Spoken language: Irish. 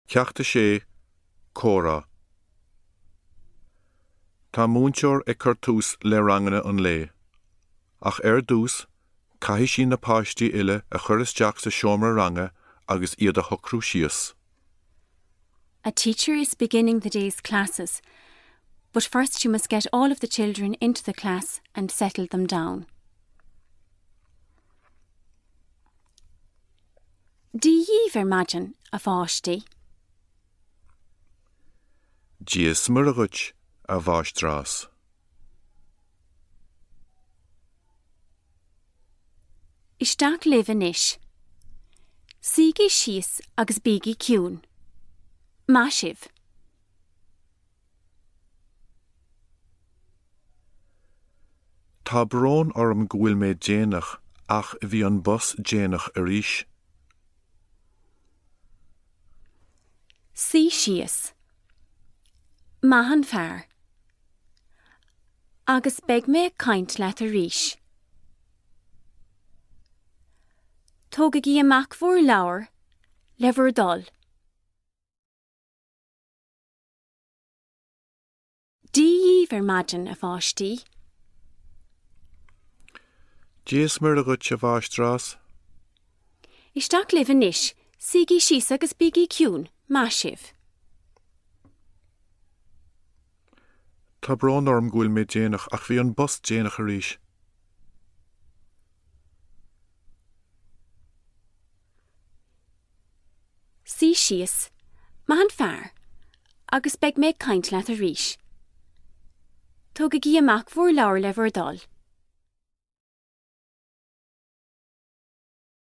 Ceacht 6, Comhrá Tá múinteoir ag cur tús le ranganna an lae. Ach ar dtús, caithfidh sí na páistí uile a chur isteach sa seomra ranga agus iad a shocrú síos. A teacher is beginning the day's classes, but first she must get all of the children into the class and settle them down. Dia dhíbh ar maidin, a pháistí. Dia is Muire dhuit, a mháistreás. Isteach libh anois. Suígí síos agus bígí ciúin. Maith sibh. Tá brón orm go bhfuil mé déanach ach bhí an bus déanach arís. Suigh síos. Maith an fear. Agus beidh mé ag caint leat arís. Tógaigí amach bhur leabhair, le bhur dtoil. Dia dhíbh ar maidin, a pháistí. Dia is Muire dhuit, a mháistreás. Isteach libh anois, suígí síos agus bígí ciúin, maith sibh. Tá brón orm go bhfuil mé déanach ach bhí an bus déanach arís. Suigh síos, maith an fear, agus beidh mé ag caint leat arís. Tógaigí amach bhur leabhair le bhur dtoil.